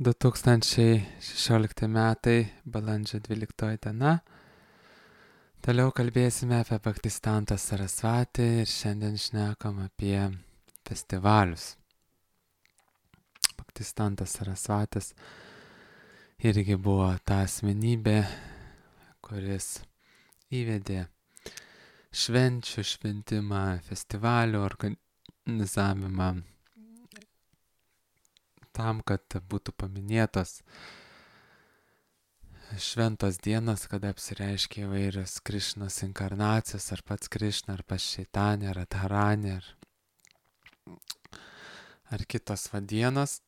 2016 metai, balandžio 12 diena. Toliau kalbėsime apie Bhaktisiddhantą Sarasvatį ir šiandien šnekam apie festivalius. Bhaktisiddhantas Sarasvatis irgi buvo ta asmenybė, kuris įvedė švenčių šventimą, festivalių organizavimą tam, kad būtų paminėtos šventos dienos, kada apsireiškia įvairios Krišnos inkarnacijos, ar pats Krišna, ar pats Šeitanė, ar Radharanė, ar kitos dienos,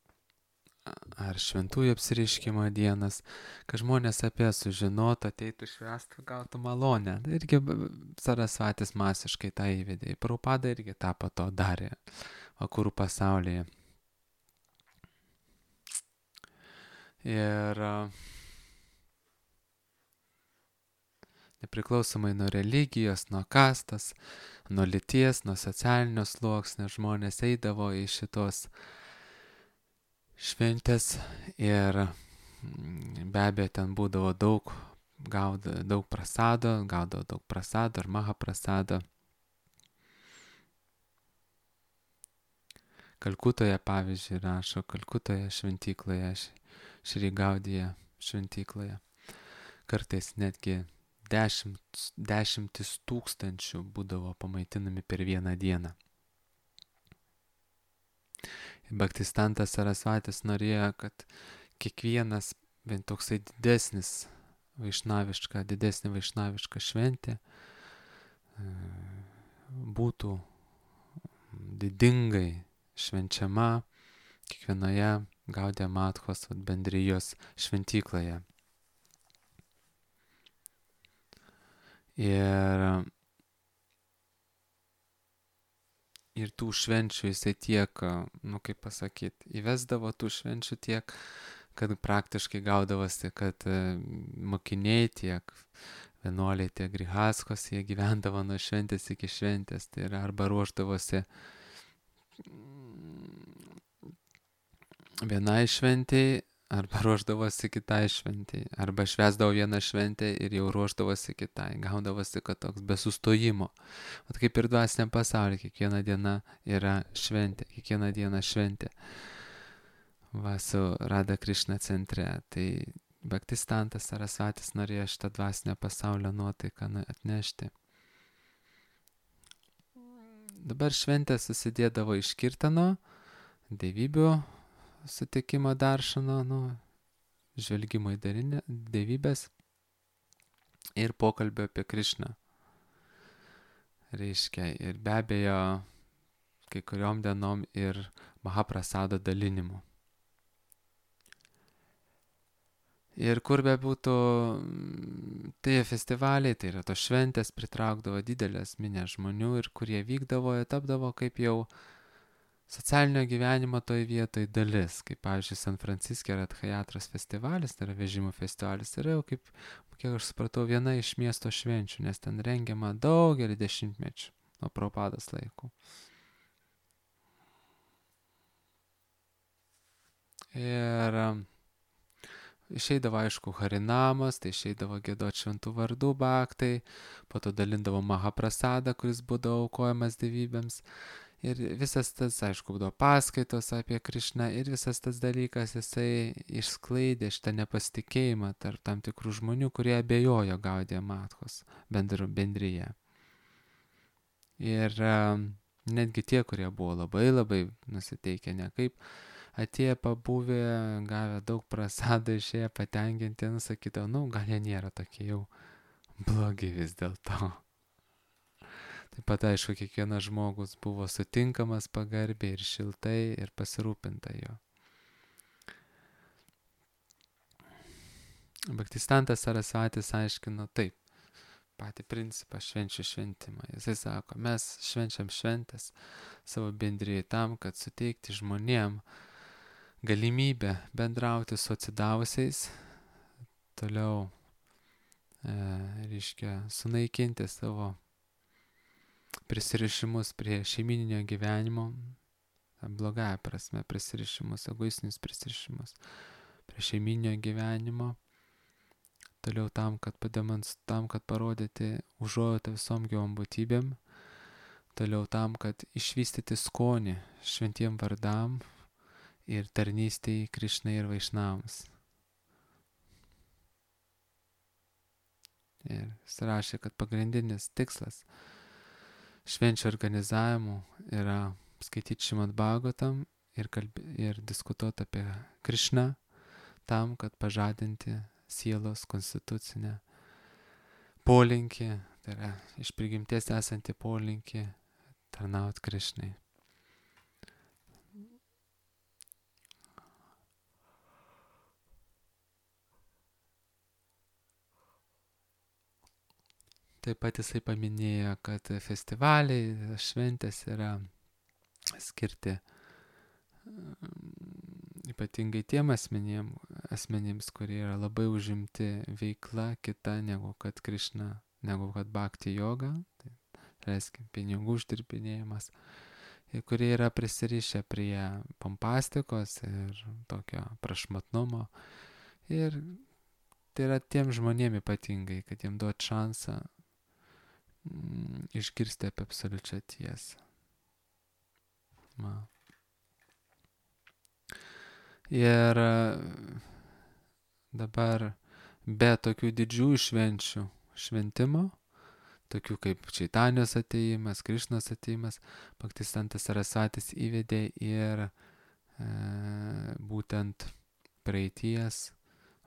ar šventųjų apsireiškimo dienas, kad žmonės apie sužinotų, ateitų švęstų, gautų malonę. Irgi Sarasvatis masiškai tą įvedė. Prabhupada irgi tą po to darė vakarų pasaulyje. Ir nepriklausomai nuo religijos, nuo kastos, nuo lyties, nuo socialinio sluoksnio žmonės eidavo į šitos šventės ir be abejo ten būdavo daug prasado, gaudavo daug prasado ar mahaprasado. Kalkutoje, pavyzdžiui, rašo, Kalkutoje šventykloje, Šri Gaudija šventykloje. Kartais netgi dešimtis tūkstančių būdavo pamaitinami per vieną dieną. Bhaktisiddhantas Sarasvatis norėjo, kad kiekvienas bent toksai didesnė vaišnaviška šventė būtų didingai švenčiama kiekvienoje Gaudiya Mathos bendrijos šventykloje. Ir tų švenčių jisai tiek, įvesdavo tų švenčių tiek, kad praktiškai gaudavosi, kad mokiniai tiek vienuoliai, tiek grihaskos, jie gyvendavo nuo šventės iki šventės. Tai yra arba ruošdavosi vienai šventėjai, arba ruošdavosi kitai šventėjai, arba švęsdavo vieną šventę ir jau ruošdavosi kitai. Gaudavosi, kad toks be sustojimo. Vat kaip ir dvasiniam pasaulyje, kiekviena diena yra šventė, kiekviena diena šventė. Va, su Radha Krishna centre. Tai Bhaktisiddhantas Sarasvatis norėjo šitą dvasinio pasaulio nuotaiką atnešti. Dabar šventė susidėdavo iš kirtano, dievybių sutikimo daršano, žvelgimo į dievybės ir pokalbio apie Krišną. Reiškia, ir be abejo, kai kuriom dienom ir mahaprasado dalinimu. Ir kur be būtų tie festivaliai, tai yra tos šventės, pritraukdavo didelės minės žmonių ir kurie vykdavo, tapdavo kaip jau socialinio gyvenimo toj vietoj dalis, kaip pavyzdžiui San Franciske Radhayatros festivalis, tai yra vežimų festivalis, yra jau kaip, kiek aš supratau, viena iš miesto švenčių, nes ten rengiama daugelį dešimtmečių nuo Prabhupados laikų. Ir išeidavo, aišku, Harinamas, tai išeidavo giedot šventų vardų bhaktai, po to dalindavo mahaprasadą, kuris būdavo aukojamas dievybėms. Ir visas tas, aišku, būdavo paskaitos apie Krišną ir visas tas dalykas, jisai išsklaidė šitą nepasitikėjimą tarp tam tikrų žmonių, kurie abejojo Gaudiya Mathos bendryje. Ir netgi tie, kurie buvo labai nusiteikę nekaip, atėję pabuvę, gavę daug prasado, išėję patenkinti, sakydavo, gal jie nėra tokie jau blogi vis dėlto. Taip pat, aišku, kiekvienas žmogus buvo sutinkamas pagarbiai ir šiltai ir pasirūpinta jo. Bhaktisiddhantas Sarasvatis aiškino taip, patį principą švenčių šventimą. Jisai sako, mes švenčiam šventės savo bendrijai tam, kad suteikti žmonėm galimybę bendrauti su atsidavusiais, toliau, sunaikinti savo prisirišimus prie šeimininio gyvenimo, blogąja prasme prisirišimus, egoistinius prisirišimus, prie šeiminio gyvenimo. Toliau tam, kad parodyti užuojautą visom gyvom būtybėm. Toliau tam, kad išvystyti skonį šventiem vardam ir tarnystėj Krišnai ir Vaišnavams. Ir jis rašė, kad pagrindinis tikslas švenčių organizavimų yra skaityti Šrimad Bhagavatam ir diskutuoti apie Krišną tam, kad pažadinti sielos konstitucinę polinkį, tai yra iš prigimties esantį polinkį tarnauti Krišnai. Taip pat jisai paminėjo, kad festivaliai, šventės yra skirti ypatingai tiem asmenims, kurie yra labai užimti veikla kita negu kad Krišna, negu kad bhakti yoga, tai reiškia pinigų uždirbinėjimas, ir kurie yra prisirišę prie pompastikos ir tokio prašmatnumo. Ir tai yra tiem žmonėm ypatingai, kad jiem duot šansą išgirsti apie absoliučią tiesą. Ir dabar be tokių didžiųjų šventimo, tokių kaip Čaitanijos atėjimas, Krišnos atėjimas, Bhaktisantas Sarasvatis įvedė ir būtent praeities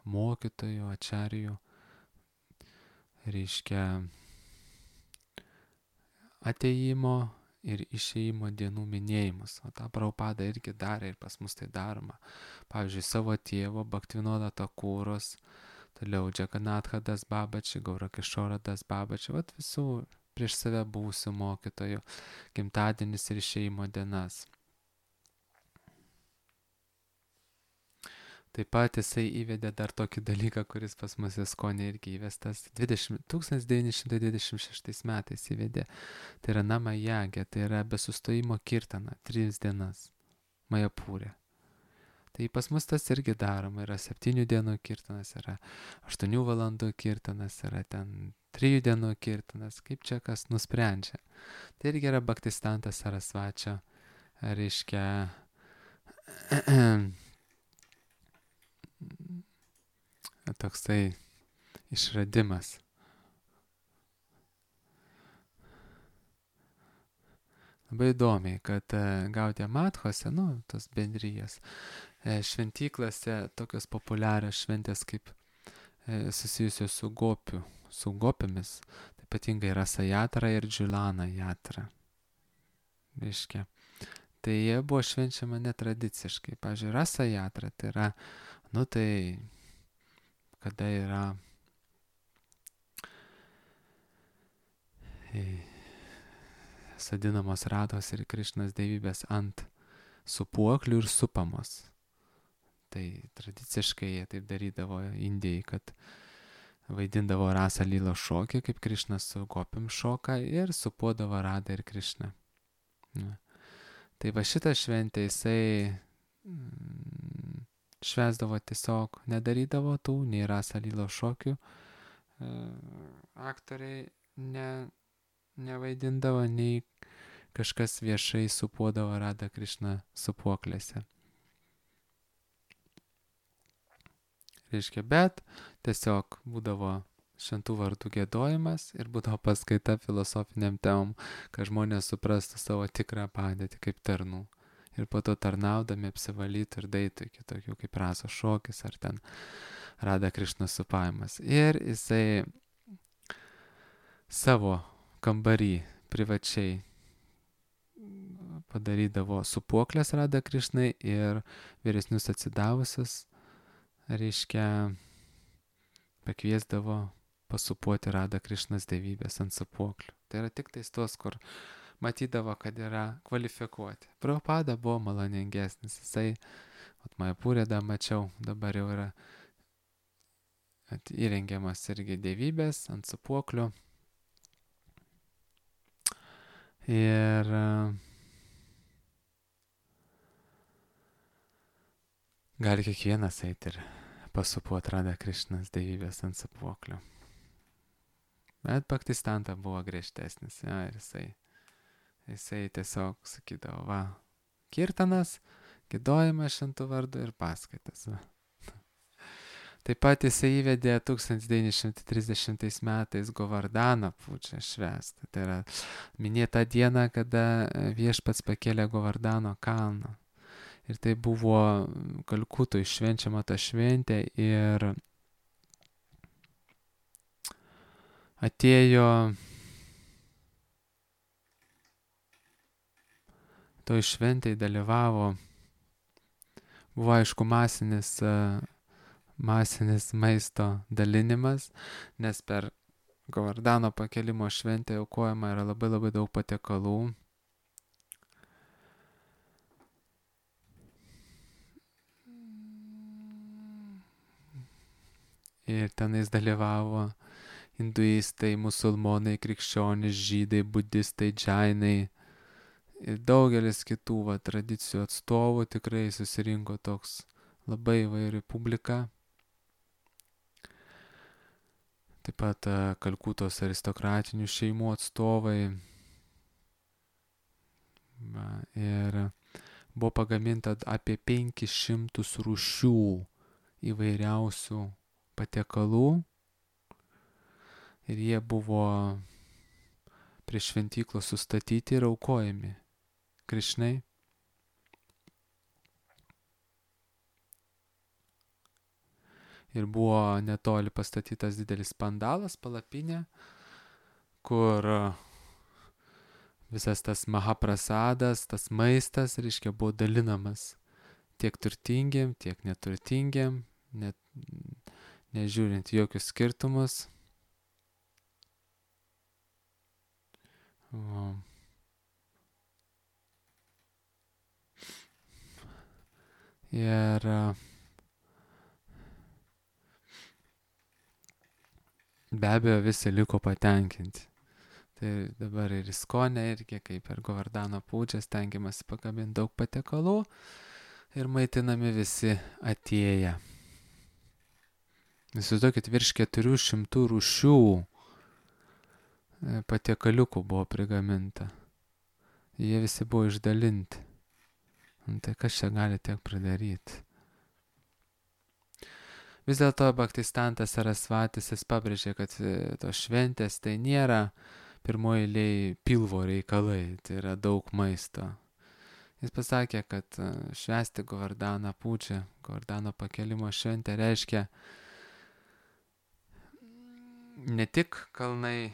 mokytojų, ačarijų, reiškia atėjimo ir išėjimo dienų minėjimus. O tą Prabhupada irgi darė ir pas mus tai daroma. Pavyzdžiui, savo tėvo Bhaktivinoda Thakuros, toliau Džaganatha Das Babaji, Gaurakishora Das Babaji, visų prieš save buvusių mokytojų gimtadienis ir išėjimo dienas. Taip pat jisai įvedė dar tokį dalyką, kuris pas mus Iskonė irgi įvestas 1926 metais įvedė. Tai yra Namajagė, tai yra be sustojimo kirtana, 3 dienas, Majapūrė. Tai pas mus tas irgi daroma, yra 7 dienų kirtanas, yra 8 valandų kirtanas, yra ten 3 dienų kirtanas, kaip čia kas nusprendžia. Tai irgi yra Bhaktisantas Sarasvačio, reiškia, toksai išradimas. Labai įdomiai, kad Gaudija Mathose, tos bendrijas, šventyklose tokios populiarios šventės kaip susijusios su gopėmis, tai ypatingai Rasa Jatra ir Džulana Jatra. Reiškia, tai jie buvo švenčiama netradiciškai. Pavyzdžiui, Rasa Jatra tai yra, tai kada yra sadinamos Rados ir Krišnos dievybės ant supuoklių ir supamos. Tai tradiciškai jie taip darydavo Indijai, kad vaidindavo Rasa Lylos šokį, kaip Krišnas su gopim šoka, ir supuodavo Radą ir Krišną. Tai va šitą šventę jisai švęsdavo tiesiog, nedarydavo tų, nei Rasa Lylos šokių, aktoriai nevaidindavo, nei kažkas viešai supuodavo Radą Krišną supuoklėse. Reiškia, bet tiesiog būdavo šventų vardų giedojimas ir būdavo paskaita filosofiniam temom, kad žmonės suprastų savo tikrą padėtį kaip tarnų. Ir po to tarnaudami apsivalytų ir daitų iki tokių kaip Rasos šokis ar ten Rada Krišnos supavimas. Ir jisai savo kambarį privačiai padarydavo supuoklės Rada Krišnai ir vyresnius atsidavusius, reiškia, pakviesdavo pasupuoti Rada Krišnos dievybės ant supuoklių. Tai yra tik tais tos, kur matydavo, kad yra kvalifikuoti. Prabhupada buvo maloningesnis. Jisai, Majapūrė mačiau, dabar jau yra įrengiamas irgi dievybės ant supuoklių. Ir gali kiekvienas eiti ir pasupu atradę Krišnos dievybės ant sūpuoklio. Bet Bhaktisiddhanta buvo griežtesnis, ja, ir jisai tiesiog sakydavo, va, kirtanas, giedojimas šventų vardų ir paskaitas. Va. Taip pat jisai įvedė 1930 metais Govardhano pučą švęstą. Tai yra minėta diena, kada viešpats pakėlė Govardhano kalną. Ir tai buvo Kalkutoj švenčiama ta šventė ir atėjo toj šventėj dalyvavo, buvo aišku masinis maisto dalinimas, nes per Govardhano pakėlimo šventę aukojama yra labai labai daug patiekalų. Ir tenais dalyvavo hinduistai, musulmonai, krikščionys, žydai, budistai, džainai ir daugelis kitų tradicijų atstovų. Tikrai susirinko toks labai įvairi publika. Taip pat Kalkutos aristokratinių šeimų atstovai. Va, ir buvo pagaminta apie 500 rūšių įvairiausių patiekalų. Ir jie buvo prie šventyklos sustatyti ir aukojami Krišnai. Ir buvo netoli pastatytas didelis pandalas, palapinė, kur visas tas mahaprasadas, tas maistas, reiškia, buvo dalinamas tiek turtingiem, tiek neturtingiem, net nežiūrint jokius skirtumus. O. Ir be abejo visi liko patenkinti. Tai dabar ir Iskonė irgi, kaip per Govardhano pučą, stengiamasi pakabinti daug patiekalų ir maitinami visi atėję. Įsivaizduokit, virš 400 rūšių patiekaliukų buvo prigaminta. Jie visi buvo išdalinti. Tai kas čia gali tiek pridaryti? Vis dėlto Bhaktisiddhanta Sarasvatis jis pabrėžė, kad tos šventės tai nėra pirmoji eilėj pilvo reikalai, tai yra daug maisto. Jis pasakė, kad švęsti Govardhano pučą, Govardhano pakėlimo šventę reiškia ne tik kalnai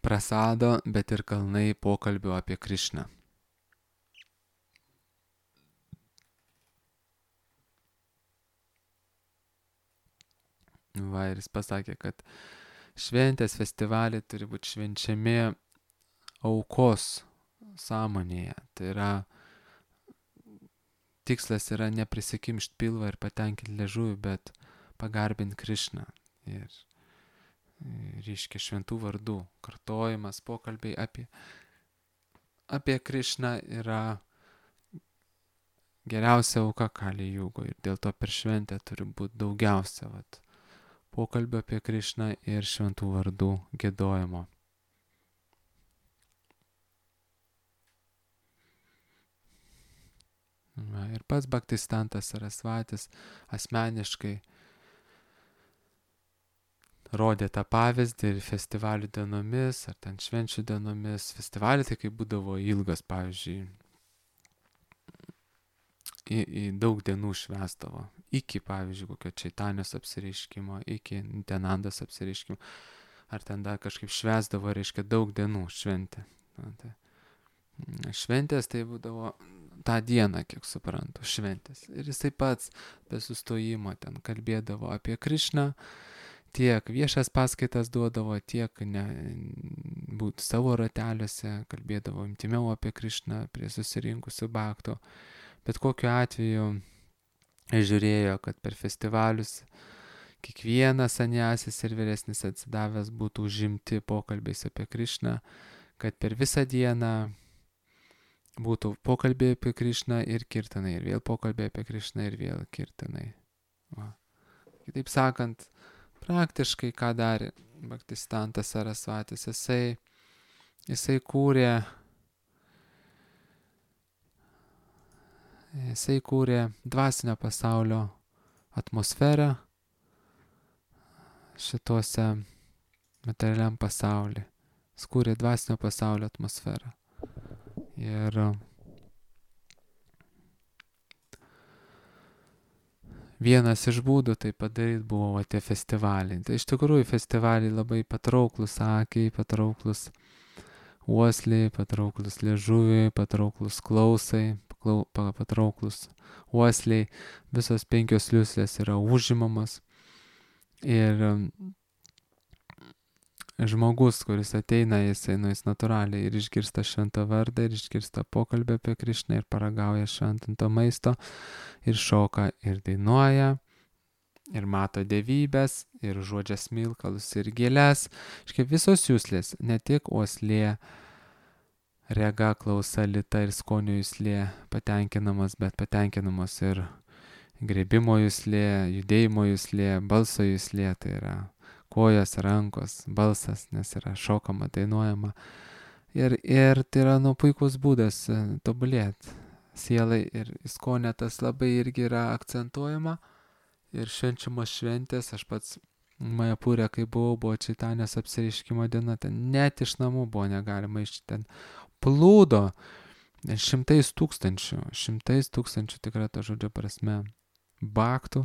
prasado, bet ir kalnai pokalbių apie Krišną. Va, ir jis pasakė, kad šventės festivaliai turi būti švenčiami aukos sąmonėje. Tai yra, tikslas yra neprisikimšti pilvą ir patenkinti liežuvį, bet pagarbinti Krišną. Ir reiškia šventų vardų kartojimas, pokalbiai apie Krišną yra geriausia auka Kali Jugo. Ir dėl to per šventę turi būti daugiausia pokalbio apie Krišną ir šventų vardų giedojimo. Va, ir pats Bhaktisiddhanta Sarasvatis asmeniškai rodė tą pavyzdį ir festivalių dienomis, ar ten švenčių dienomis. Festivaliai tai kai būdavo ilgas, pavyzdžiui, į daug dienų švęsdavo. Iki, pavyzdžiui, kokio Čaitanijos apsireiškimo, iki Nityanandos apsireiškimo. Ar ten dar kažkaip švęsdavo, reiškia, daug dienų šventė. Šventės tai būdavo tą dieną, kiek suprantu, šventės. Ir jisai pats be sustojimo ten kalbėdavo apie Krišną, tiek viešas paskaitas duodavo, tiek būt savo rateliuose, kalbėdavo intimiau apie Krišną prie susirinkusių bhaktų. Bet kokiu atveju žiūrėjo, kad per festivalius kiekvienas sanjasis ir vyresnis atsidavęs būtų užimti pokalbiais apie Krišną, kad per visą dieną būtų pokalbiai apie Krišną ir kirtanai, ir vėl pokalbiai apie Krišną ir vėl kirtanai. Va. Kitaip sakant, praktiškai ką darė Bhaktistantas Sarasvatis, jisai kūrė dvasinio pasaulio atmosferą šituose materialiam pasaulyje. Jis kūrė dvasinio pasaulio atmosferą. Ir vienas iš būdų tai padaryti buvo tie festivaliai. Tai iš tikrųjų festivaliai labai patrauklus akiai, patrauklus uosliai, patrauklus liežuviai, patrauklus klausai, patrauklus uosliai. Visos 5 liuslės yra užimamos. Ir žmogus, kuris ateina, jis natūraliai ir išgirsta šventą vardą, ir išgirsta pokalbį apie Krišną, ir paragauja šventinto maisto, ir šoka, ir dainuoja, ir mato dievybės, ir žodžia smilkalus, ir gėles. Iškai visos juslės, ne tik uoslė, rega, klausa, lyta ir skonio juslė patenkinamos, bet patenkinamos ir grėbimo juslė, judėjimo juslė, balso juslė, tai yra kojos, rankos, balsas, nes yra šokama, dainuojama. Ir tai yra puikus būdas tobulėti sielai, ir skonė tas labai irgi yra akcentuojama. Ir švenčiamos šventės, aš pats Majapūre, kai buvo Čaitanės apsireiškimo diena, ten net iš namų buvo negalima iš ten plūdo, 100 tūkstančių tikrai to žodžio prasme baktų.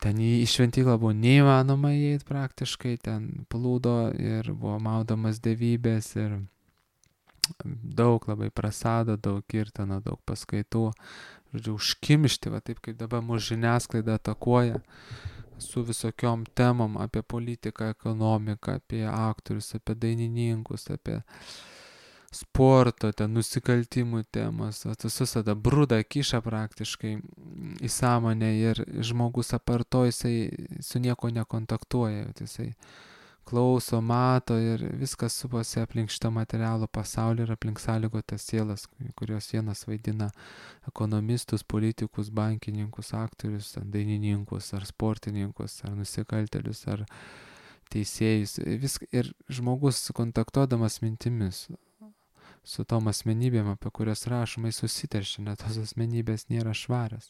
Ten į šventyklą buvo neįmanoma įeiti praktiškai, ten plūdo ir buvo maudomas dievybės ir daug labai prasado, daug kirtano, daug paskaitų. Žodžiu, užkimšti, va taip kaip dabar mūsų žiniasklaida atakuoja su visokiom temom apie politiką, ekonomiką, apie aktorius, apie dainininkus, apie sporto, ten nusikaltimų temos, visus tada brudą kiša praktiškai į sąmonę ir žmogus aparto, jisai su nieko nekontaktuoja, jisai klauso, mato ir viskas supasi aplink šitą materialų pasaulį ir aplink sąlygotas sielas, kurios vienas vaidina ekonomistus, politikus, bankininkus, aktorius, dainininkus, ar sportininkus, ar nusikaltelius, ar teisėjus. Ir žmogus kontaktuodamas mintimis su tom asmenybėm, apie kurias rašomai susiteršia, net tos asmenybės nėra švarios.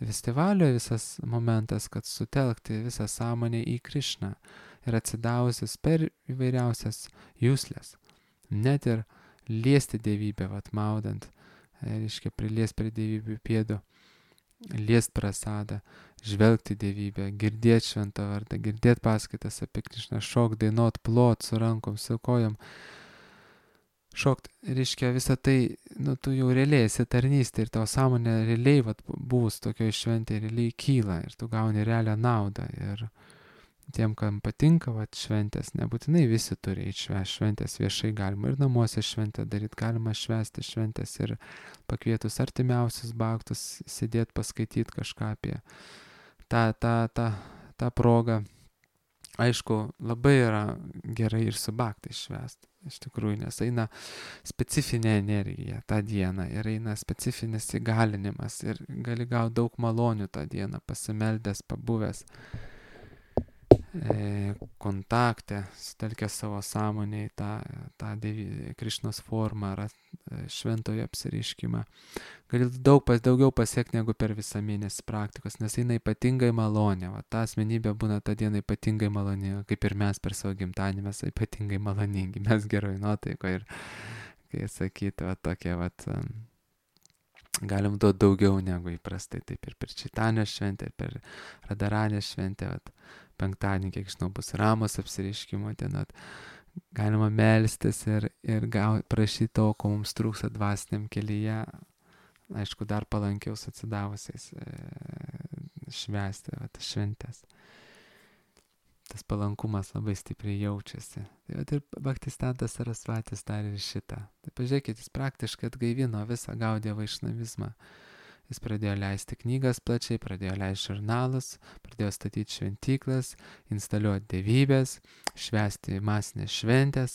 Festivalio visas momentas, kad sutelkti visą sąmonę į Krišną ir atsidavusias per įvairiausias juslės. Net ir liesti dievybę, maudant, reiškia priliest prie dievybių pėdų, liest prasadą, žvelgti dievybę, girdėti šventą vardą, girdėti paskaitas apie Krišną, šokt, dainuot, plot su rankom, su kojom. Šokt, reiškia, visą tai, tu jau realiai esi tarnystė ir tavo sąmonė realiai, buvus tokioj šventėje, realiai kyla ir tu gauni realią naudą. Ir tiem, kam patinka šventės, nebūtinai visi turi eiti švęsti šventės viešai, galima ir namuose šventę daryti, galima švęsti šventės ir pakvietus artimiausius baktus, sėdėti, paskaityti kažką apie tą progą. Aišku, labai yra gerai ir su baktais švęsti, iš tikrųjų, nes eina specifinė energija tą dieną ir eina specifinis įgalinimas ir gali gauti daug malonių tą dieną, pasimeldęs, pabuvęs kontakte, sutelkęs savo sąmonę į tą Krišnos formą ar šventojo apsireiškimą. Gali daugiau pasiekti negu per visą mėnesį praktikos, nes eina ypatingai malonė. Ta asmenybė būna tą dieną ypatingai malonė, kaip ir mes per savo gimtadienį, mes ypatingai maloningi, mes geroj nuotaikoje ir, kai sakyti, tokie, galim duoti daugiau negu įprastai, taip ir per Čaitanės šventę, ir per Radaranės šventę, penktadienį, kiek žinau, bus Ramos apsireiškimo diena, galima melstis ir prašyti to, ko mums trūksta dvasiniam kelyje, aišku, dar palankiau atsidavusiais švęsti šventės. Tas palankumas labai stipriai jaučiasi. Tai ir Bhaktistantas Sarasvatis darė ir šitą. Tai pažiūrėkit, jis praktiškai atgaivino visą Gaudiją vaišnavizmą. Jis pradėjo leisti knygas plačiai, pradėjo leisti žurnalus, pradėjo statyti šventyklas, instaliuoti dievybės, švęsti masinės šventės,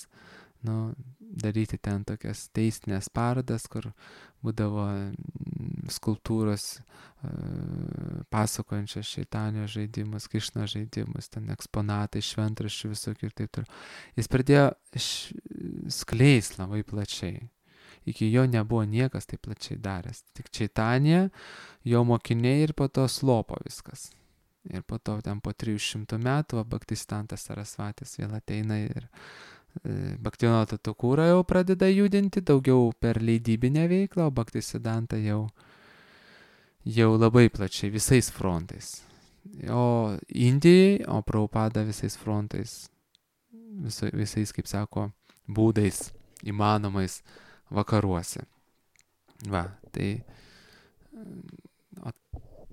daryti ten tokias teistinės parodas, kur būdavo skulptūros pasakojančios šeitanio žaidimus, Krišno žaidimus, ten eksponatai, šventraščių visokių ir taip toliau. Jis pradėjo skleis labai plačiai. Iki jo nebuvo niekas taip plačiai daręs. Tik Čaitanija, jo mokiniai ir po to slopo viskas. Ir po to ten po 300 metų Bhaktistantas Sarasvatis vėl ateina ir Bhaktivinoda Thakura jau pradeda judinti daugiau per leidybinę veiklą, o Bhaktisidanta jau labai plačiai, visais frontais. O Indijai, o Prabhupada visais frontais, visais, kaip sako, būdais įmanomais vakaruose. Va, tai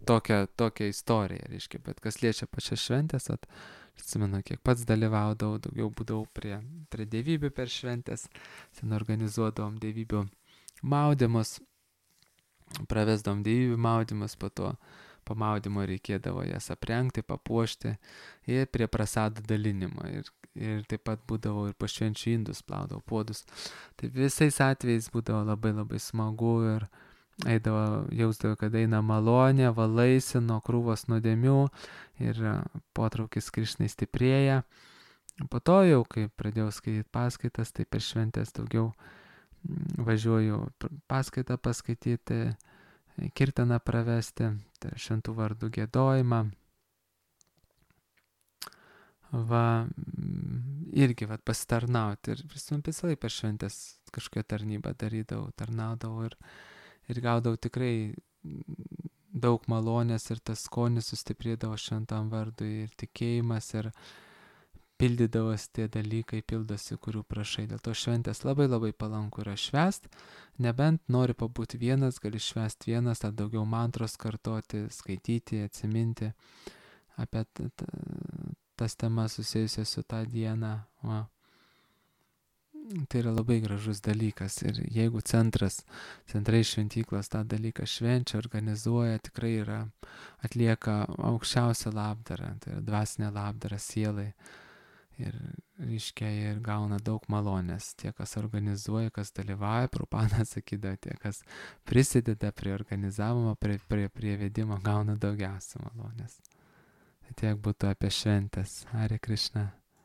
tokia istorija, reiškia, bet kas liečia pačias šventės, atsimenu, kiek pats dalyvaudavau, daugiau būdavau prie dievybių per šventės, ten organizuodavom dievybių maudymus, pravesdavom dievybių maudymus, po maudymo reikėdavo jas aprengti, papuošti ir prie prasadų dalinimo. Ir taip pat būdavo ir po švenčių indus plaudavo puodus. Tai visais atvejais būdavo labai labai smagu ir jausdavo, kad eina malonė, valaisi nuo krūvos nuodėmių ir potraukis Krišnai stiprėja. Po to jau, kai pradėjau skaityti paskaitas, tai per šventės daugiau važiuoju paskaitą paskaityti, kirtaną pravesti, tai šventų vardų giedojimą. Va, irgi pasitarnauti ir visą laiką per šventės kažkokią tarnybą darydavau, tarnaudavau ir gaudavau tikrai daug malonės ir tas skonis sustiprėdavo šventam vardui ir tikėjimas ir pildydavosi tie dalykai, pildosi, kurių prašai. Dėl to šventės labai labai palanku yra švęst, nebent nori pabūti vienas, gali švęst vienas, ar daugiau mantros kartoti, skaityti, atsiminti apie tas temas susijusias su tą dieną. Va. Tai yra labai gražus dalykas ir jeigu centrai šventyklos tą dalyką švenčia, organizuoja, tikrai atlieka aukščiausią labdarą, tai yra dvasinė labdara sielai. Ir reiškia, ir gauna daug malonės. Tie, kas organizuoja, kas dalyvauja, Prabhupada sakydavo, tie, kas prisideda prie organizavimo, prie vedimo, gauna daugiausia malonės. Tai tiek būtų apie šventės. Hare Krishna.